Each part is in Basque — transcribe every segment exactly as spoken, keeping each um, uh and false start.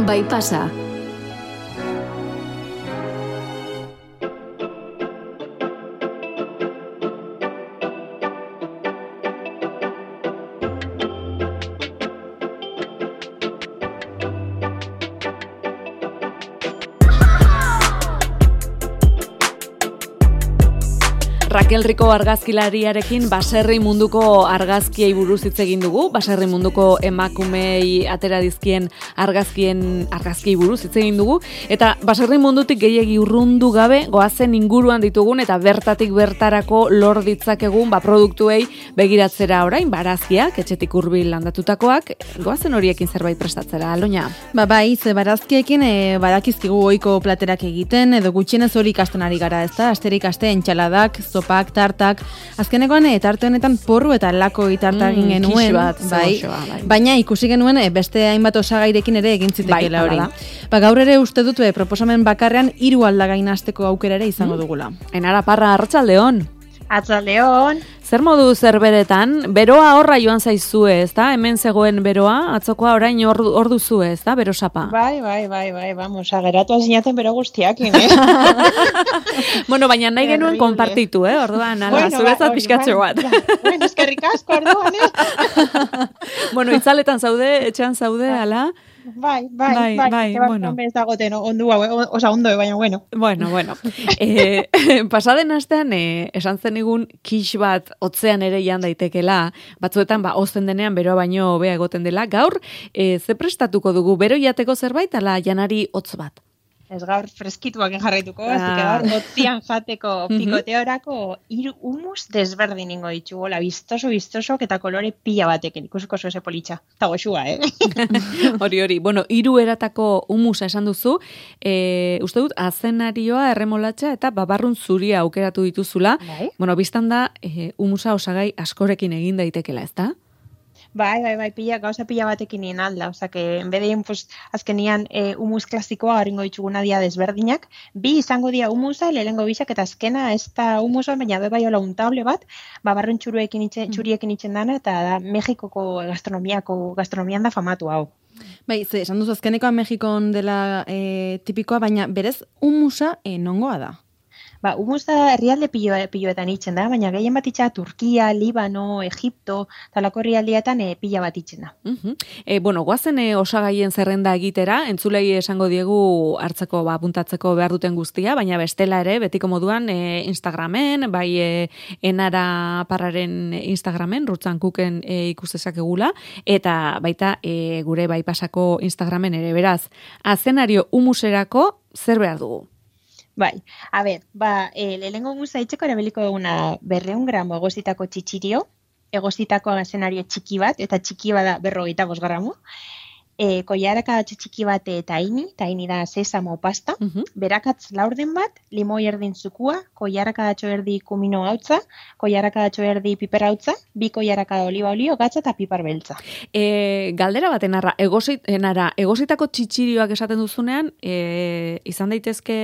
Bai pasa. Raquel Rico argazkilariarekin baserri munduko argazkiei buruz hitz egin dugu, baserri munduko emakumei atera dizkien argazkien argazkiei buruz hitz egin dugu, eta baserri mundutik gehiegi urrundu gabe goazen inguruan ditugun eta bertatik bertarako lor ditzakegun ba produktuei begiratzera orain, barazkiak, etxetik hurbil landatutakoak, goazen horiekin zerbait prestatzera, Aloña. Ba bai, ze barazkiekin e, badakizkigu ohiko platerak egiten, edo gutxienez hori ikasten ari gara, ezta? Asterik aste entxaladak, zopak, tartak, azkenekoan e, tarte honetan porru eta lako itarta egin Mm, genuen, kisu bat, bai, zegoxoa, bai. baina ikusi genuen e, beste hainbat osagairekin ere egin zitekeela Bai, hori. hala Ba, gaur ere uste dut e, proposamen bakarrean hiru aldagain hasteko aukera ere izango dugula. Enara Parra, arratsaldeon. Atzaldeon. Zer modu zerberetan, beroa horra joan zaizue, ezta? Hemen zegoen beroa, atzokoa orain hor, hor duzue, ezta? Bero sapa. Bai, bai, bai, bai, vamos, ageratu azinaten bero guztiakin, eh? Bueno, baina nahi genuen Terrible. konpartitu, eh? Orduan, ala, Bueno, zuretzat ba, pixkatxo bai, bat. ja. Bueno, eskerrik asko orduan, eh? Bueno, itzaletan zaude, etxean zaude, ala? Bai, bai, Bai, bai, bai, bai, bueno. Ez dagoten ondu hau, o- osa ondo, baina bueno. Bueno, bueno. E, pasaden astean, e, esan zenigun kix bat otzean ere jan daitekela, batzuetan ba ozten denean beroa baino hobea egoten dela. Gaur, e, ze prestatuko dugu, bero jateko zerbait, ala janari hotz bat? Ez gaur freskituak jarraituko, Ah. así que gaur otzian jateko pikoteorako hiru humus desberdin ingo ditugu, la vistoso, vistoso, eta kolore pila batekin, ikusiko oso ese politxa. Eta goxua, eh? Hori, hori. Bueno, hiru eratako humusa esan duzu, e, uste dut, azenarioa, erremolatxa eta babarrun zuria aukeratu dituzula. Bai. Bueno, biztan da, e, humusa osagai askorekin egin daitekela, ezta? Bai, bai, bai, pila, gauza pila batekin nien alda, oza, que en bedein, pues, azkenian e, humus klasikoa garingo dituguna dia desberdinak, bi izango dia humusa, lehengo bisak, eta azkena ez da humusa, baina be bai hola untable bat, babarren txuruekin itxe, txuriekin itxen dana, eta da Mexikoko gastronomiako, gastronomian da famatu hau. Bai, ze, esan duzu azkenekoa Mexikon dela e, tipikoa, baina berez humusa e, nongoa da. Ba, humusa herrialde pilo, piloetan itzen da, baina gehien bat itxa Turkia, Libano, Egipto, talako herrialdeetan e, pila bat itzen da. Uh-huh. E, bueno, guazen e, osagaien zerrenda egitera, entzulei esango diegu hartzeko, ba, puntatzeko behar duten guztia, baina bestela ere, betiko moduan, e, Instagramen, bai e, Enara Parraren Instagramen, rutzan kuken e, ikustezakegula, eta baita e, gure bai pasako Instagramen ere, beraz, azenario humuserako zer behar dugu? Bai, a ber, ba, e, lehenengo humusa itxeko erabiliko duguna berreun gramo egozitako txitxirio, egozitako azenario txiki bat, eta txiki bada berrogeita bost gramo, e, koiarakadatxo txiki bat e, taini, taini da sesamo pasta, Uh-huh. berakatz laurden bat, limoi erdin zukua, koiarakadatxo erdi kumino hautza, koiarakadatxo erdi piper hautza, bi koiarakada oliba olio, gatza eta pipar beltza. E, galdera bat enarra, egosit, enara, egositako txitxirioak esaten duzunean, e, izan daitezke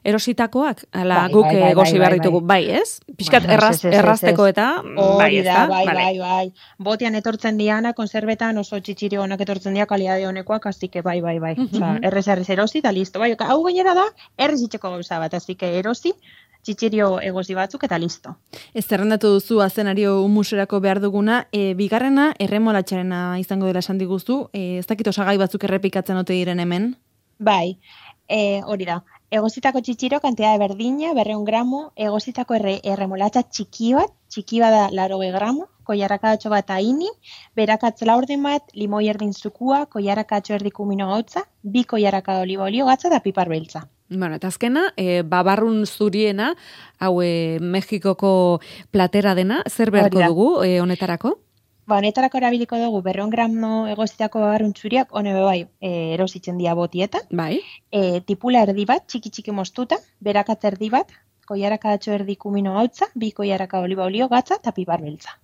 erositakoak? Ala, Bai, guk bai, bai, egosi bai, behar bai, ditugu, bai, ez? Piskat Bai, erraz, ez, ez, ez, errazteko ez. eta... Hori da, ezta? bai, Vale. bai, bai. Botean etortzen diana, konserbetan oso txitxiri honak etortzen dia, kalidade honekoak, así que bai, bai, bai. Osa, errez, errez erosi, eta listo. Bai, hau gainera da, errez itxeko gauza bat, así que erosi, txitxirio egosi batzuk, eta listo. Ez zerrendatu duzu azenario humuserako behar duguna, e, bigarrena erremolatxarena izango dela esan diguzu, e, ez dakit osagai batzuk errepikatzen ote diren hemen. Bai, e, hori da. Egozitako txitxiro, kantea berdina, berreun gramo, egozitako erre, erremolatxa txiki bat, txiki bada laroge gramo, koiarakadatxo bat haini, berakatz laurden bat, limoi erdin zukua, koiarakatxo erdi kumino gautza, bi koiarakada oliba olio gatza eta pipar beltza. Bueno, eta azkena, e, babarrun zuriena, hau e, Mexikoko platera dena, zer beharko Hori da. dugu e, honetarako? Ba, honetarako erabiliko dugu berreun gramo egozitako babarrun txuriak, hone bai e, erositzen dia botietan, Bai. e, tipula erdi bat, txiki-txiki mostuta, berakatz erdi bat, koiarakadatxo erdi kumino gautza, bi koiarakada oliba olio gatza eta pipar beltza.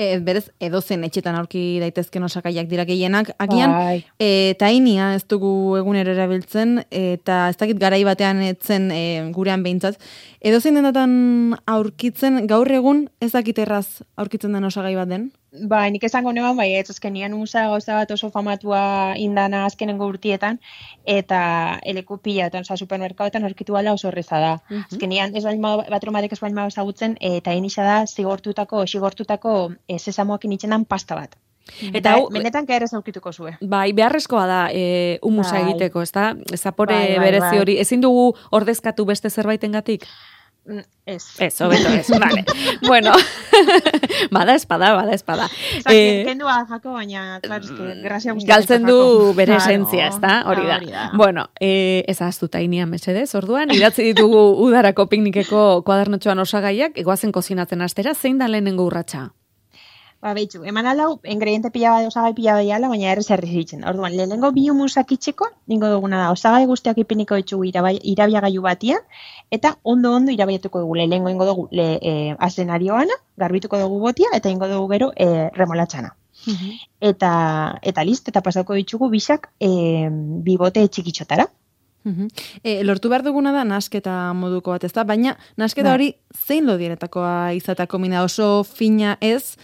E, berez, edozen etxetan aurki daitezken osagaiak dira gehienak. Agian, Bai. e, tainia ez dugu egunero erabiltzen, eta ez dakit garai batean etzen e, gurean behintzat. Edozein denatan aurkitzen, gaur egun ez dakit erraz aurkitzen den osagai bat den? Ba, nik esango neban, bai, ez azkenian humusa gauza bat oso famatua indana azkenengo urtietan, eta eleku pila, eta oza, supermerkaoetan horkitu ala oso horreza da. Uh -huh. Azkenian, ez bain batromadek ez bain ma ezagutzen, eta inisa da zigortutako, xigortutako e, sesamoak initzen pasta bat. Eta hau, benetan kaera zaukituko zue. Bai, beharrezkoa da e, humusa bai. egiteko, ez da? Zapore bai, bai, berezi bai. hori. Ezin dugu ordezkatu beste zerbaitengatik? Ez. Ez, hobeto ez, vale. Bueno, bada espada, bada espada. Osa, eh, kendua jako, baina, claro, es que grazia guztiak. Galtzen du bere claro, esentzia, ez da? Hori da. Hori da. Bueno, eh, ez ahaztuta inia mesedez, orduan, idatzi ditugu udarako piknikeko kuadernotxoan osagaiak, egoazen kozinatzen astera, zein da lehenengo urratsa? Ba, behitzu, eman alau, ingrediente pila bat, osagai pila bat baina errez errez ditzen. Orduan, lehenengo bi humusak itxeko, ningo duguna da, osagai guztiak ipiniko ditugu irabiagailu batian, eta ondo-ondo irabiatuko dugu, lehenengo ingo dugu le, e, azenarioana, garbituko dugu botia, eta ingo dugu gero e, remolatxana. Uh-huh. Eta, eta listo, eta pasauko ditugu bisak e, bibote txikitxotara. Uh-huh. E, lortu behar duguna da nasketa moduko bat, ez da? Baina nasketa hori zein lodienetakoa izatako mina oso fina ez,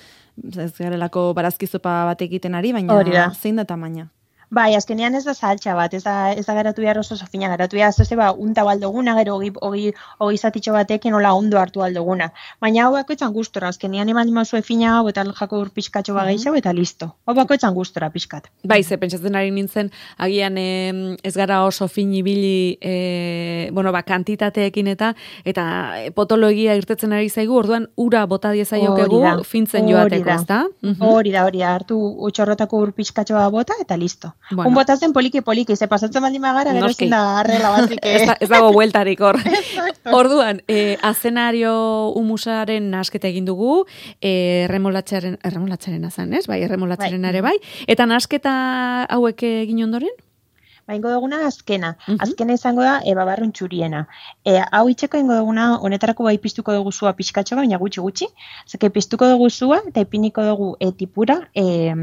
ez garelako barazkizopa bat egiten ari, baina zein da tamaina? Bai, azkenean ez da saltxa bat, ez da, ez da garatu behar oso sofina, garatu behar zoze ba, unta baldoguna, gero hogi, hogi, hogi zatitxo batekin hola ondo hartu aldoguna. Baina hau bakoitzan gustora, azkenean eman dimazue fina hau, eta jako ur pixkatxo ba gehiago, eta listo. Hau bakoitzan gustora pixkat. Bai, ze pentsatzen ari nintzen, agian eh, ez gara oso fin ibili, eh, bueno, ba, kantitateekin eta, eta potoloegia irtetzen ari zaigu, orduan ura bota diezaiokegu fintzen joateko, ez da? Hori da, hori da, hartu utxorrotako ur pixkatxoa bota, eta listo. Bueno. Un botatzen poliki-poliki, ze pasatzen baldin magara, gero ezin da arregla batzik. ez, da, ez dago bueltarik hor. Orduan, eh, azenario humusaren nasketa egin dugu, eh, erremolatxaren, erremolatxaren azan, ez? Bai, erremolatxaren ere bai. Eta nasketa hauek egin ondoren? Ba, ingo duguna azkena. Uh-huh. Azkena izango da, e, babarrun txuriena. E, hau itxeko ingo duguna, honetarako bai piztuko dugu zua pixkatxo, baina gutxi-gutxi. Zeke piztuko dugu zua, eta ipiniko dugu e, tipura, e,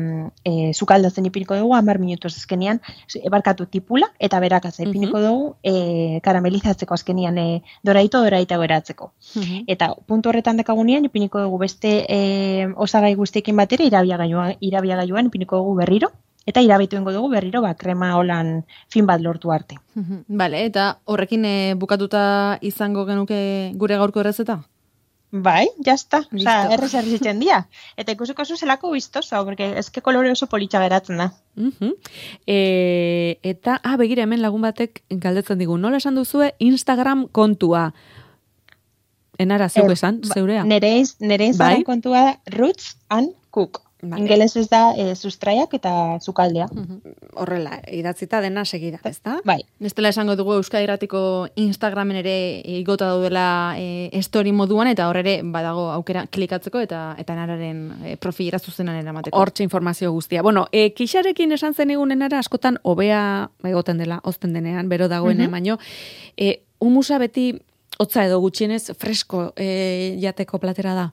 e, zukaldatzen ipiniko dugu, hamar minutuz azkenian, ebarkatu tipula, eta berakatza ipiniko uh-huh. dugu, e, karamelizatzeko azkenian, e, doraito, doraita beratzeko. Uh-huh. Eta puntu horretan dekagunean, ipiniko dugu beste e, osagai guztiekin batera, irabiagailuan, irabiagailuan ipiniko dugu berriro, eta irabitu ingo dugu berriro, ba, krema holan fin bat lortu arte. Bale, eta horrekin e, bukatuta izango genuke gure gaurko errezeta? Bai, jazta. Osa, errez errezitzen dia. Eta ikusiko zuzelako biztoso, porque eske kolore oso politxa geratzen da. Uh-huh. E, eta, ah, begira, hemen lagun batek galdetzen digu, nola esan duzue Instagram kontua? Enara, zeu esan, ba, zeurea? Nere, nere Instagram bai? Kontua da Roots and Cook. Vale. Ingeles ez da e, sustraiak eta zukaldea. Uh-huh. Horrela, idatzita dena segida, ez da? Bai. Nestela esango dugu Euskadi Irratiko Instagramen ere igota daudela e, story moduan, eta hor ere badago aukera klikatzeko eta eta nararen e, profilera zuzenan eramateko. Hortxe informazio guztia. Bueno, e, kixarekin esan zen egunen ara, askotan hobea egoten dela, ozten denean, bero dagoen uh-huh. baino, e, humusa beti hotza edo gutxienez fresko e, jateko platera da.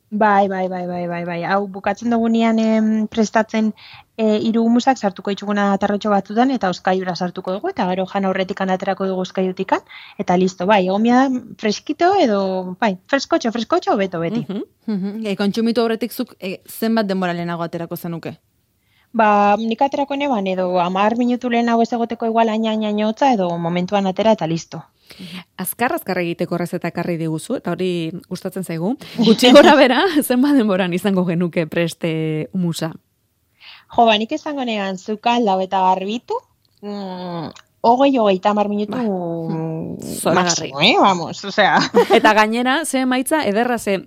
Bai, bai, bai, bai, bai, bai. Hau, bukatzen dugunean em, prestatzen e, hiru humusak sartuko dituguna atarrotxo batzutan, eta oskaiura sartuko dugu, eta gero jan aurretik aterako dugu oskaiutikan, eta listo, bai, egomia da freskito edo, bai, freskotxo, freskotxo, beto beti. Uh-huh. Uh-huh. E, kontsumitu aurretik zuk e, zenbat denbora lehenago aterako zenuke? Ba, nik aterako neban, edo hamar minutu lehenago ez egoteko igual aina-aina-aina edo momentuan atera eta listo. Azkar, azkar egiteko errezeta ekarri diguzu, eta hori gustatzen zaigu. Gutxi gora bera, zenbat denboran izango genuke preste humusa? Jo, ba, nik izango negan zukalda eta garbitu, mm, hogei, hogei, tamar minutu ba, máximo, eh, vamos, osea. Eta gainera, ze emaitza, ederra ze,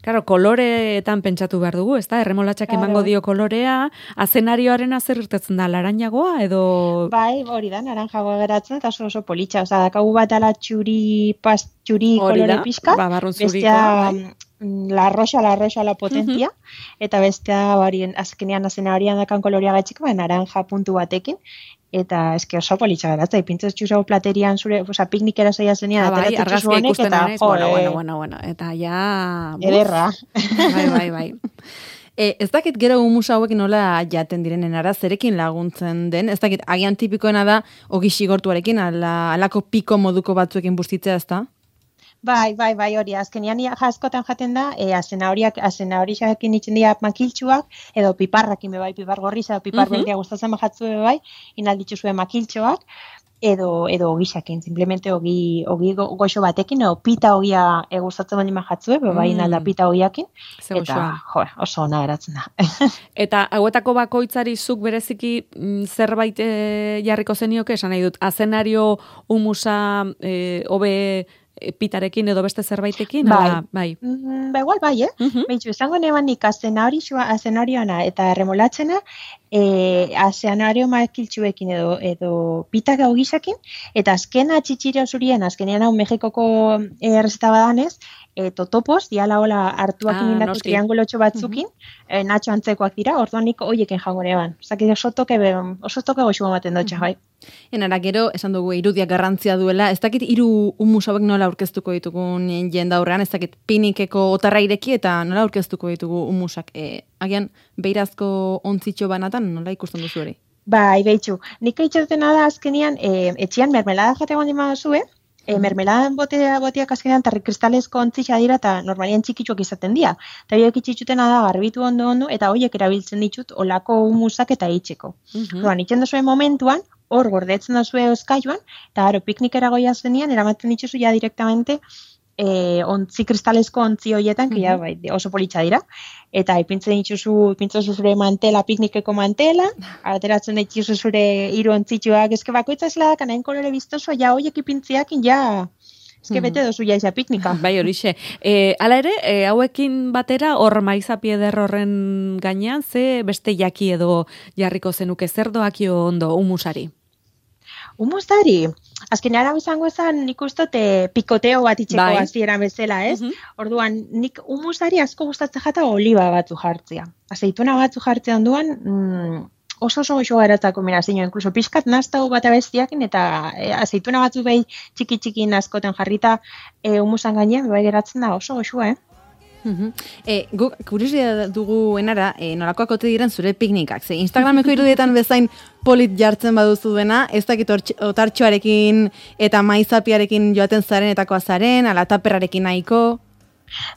claro, koloreetan pentsatu behar dugu, ez da? Erremolatxak claro. Emango dio kolorea, azenarioaren azer irtetzen da, laranjagoa edo... Bai, hori da, naranjagoa geratzen, eta oso oso politxa, oza, dakagu bat ala txuri, pas, txuri kolore pixka, ba, bestea bai. La roxa, la roxa, la potentia, uh-huh. eta bestea barien, azkenean azenarioan dakan kolorea gaitxik, ba, naranja puntu batekin, eta eske oso politxa geratzen, ipintzez txuzau platerian zure, oza, piknikera zaila zenean, ah, bai, ateratzen txuzonek, eta jo, bueno, bueno, bueno, bueno, eta ja... Ederra. Bai, bai, bai. E, ez dakit gero humusa hauek nola jaten direnen ara, zerekin laguntzen den, ez dakit agian tipikoena da, ogi xigortuarekin, ala, alako piko moduko batzuekin bustitzea, ez da? Bai, bai, bai, hori, azkenian askotan jaten da, e, azena horiak, azena horiak initzen dira makiltxuak, edo piparrakin be bai, pipar gorriz, edo pipar Mhm. berdia gustatzen bajatzu be bai, inalditzu zuen makiltxoak, edo edo ogisakin, simplemente ogi ogi go- goxo batekin edo pita ogia e, gustatzen baldin bajatzue, be bai Mm. inalda pita ogiakin, Ze eta goxoa. jo, oso ona geratzen da. Eta hauetako bakoitzari zuk bereziki mm, zerbait e, jarriko zenioke, esan nahi dut, azenario humusa e, hobe e, pitarekin edo beste zerbaitekin? Bai. Ala, bai. Mm, ba igual bai, eh? Mhm. Beitzu, esango neban nik azenarioa, azenarioana eta remolatzena, e, azenario makiltxuekin edo, edo pita gau gisakin, eta azkena txitxiro zurien, azkenean hau Mexikoko e, errezeta badanez, e, totopos, diala hola hartuak Ah, indako noski. triangulotxo batzukin, e, natxo antzekoak dira, orduan nik hoieken jango neban. Zaki oso toke, be- oso toke goxu ematen dutxa, bai. Enara gero, esan dugu, irudiak garrantzia duela, ez dakit hiru humus hauek nola aurkeztuko ditugun jenda aurrean, ez dakit pinikeko otarra ireki eta nola aurkeztuko ditugu humusak. E, agian, beirazko ontzitxo banatan nola ikusten duzu hori? Bai, behitxu. Nik eitxatena da azkenian, e, etxian mermelada jate gondin baduzue, e, mermeladan botea, boteak azkenean tarri kristalezko ontzixa dira eta normalian txikitsuak izaten dira. Eta horiek itxitxutena da garbitu ondo ondo eta horiek erabiltzen ditut olako humusak eta itxeko. Mhm. Orduan, itxen duzuen momentuan, hor gordetzen duzue euskailuan, eta gero piknikera goia zenean, eramaten dituzu ja direktamente e, ontzi kristalezko ontzi horietan, que ja, bai, oso politxa dira, eta ipintzen dituzu, ipintzen dituzu zure mantela, piknikeko mantela, ateratzen dituzu zure hiru ontzitsuak, eske bakoitza esela da, kanain kolore biztoso, ja hoiek ipintziakin, ja, eske bete dozu ja isa piknika. Bai, horixe. E, hala ere, e, hauekin batera, hor maizapi eder horren gainean, ze beste jaki edo jarriko zenuke zer doakio ondo humusari? Humustari, azken ara izango esan nik uste e, pikoteo bat itxeko Bai. hasieran bezala, ez? Mhm. Orduan, nik humustari asko gustatzen jata oliba batzu jartzea. Azeituna batzu jartzea onduan, mm, oso oso oso geratzako kombinazio, inkluso pixkat naztau bat abestiakin, eta e, azeituna batzu behi txiki-txikin askoten jarrita e, humusan gainean, bai geratzen da oso oso, eh? Mhm. E, guk kuriosia dugu enara, e, nolakoak ote diren zure piknikak. Ze Instagrameko irudietan bezain polit jartzen baduzu duena, ez dakit hortx- otartxoarekin eta maizapiarekin joaten zaren etakoa zaren, ala taperrarekin nahiko.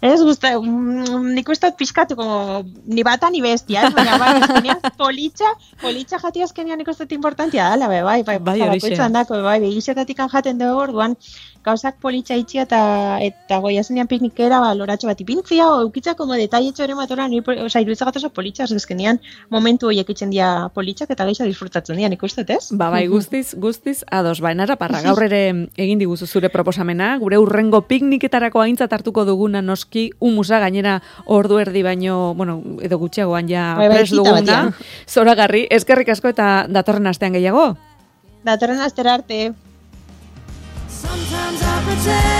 Ez gusta, mm, nik uste dut pixkatuko, ni bata ni bestia, ez? Baina bai, azkenean politxa, politxa jati azkenean nik uste dut importantia dela, bai, bai, bai, Bai, horixe. bakoitzan dako, bai, begizetatik jaten dugu orduan, gauzak politxa itxi eta eta goia zenean piknikera, ba, loratxo bat ipintzia, o eukitza como detailetxo ere matora, ni, oza, iruditzen gatoso politxa, azkenean momentu horiek itzen dia politxak eta gehiago disfrutatzen dira, nik uste dut, ez? Ba, bai, guztiz, guztiz, ados, ba, enara parra, gaur ere egin diguzu zure proposamena, gure urrengo pikniketarako aintzat hartuko duguna noski humusa gainera ordu erdi baino, bueno, edo gutxiagoan ja Bai, bai, pres tita duguna, batean. zoragarri, eskerrik asko eta datorren astean gehiago. Datorren astera arte. Sometimes I pretend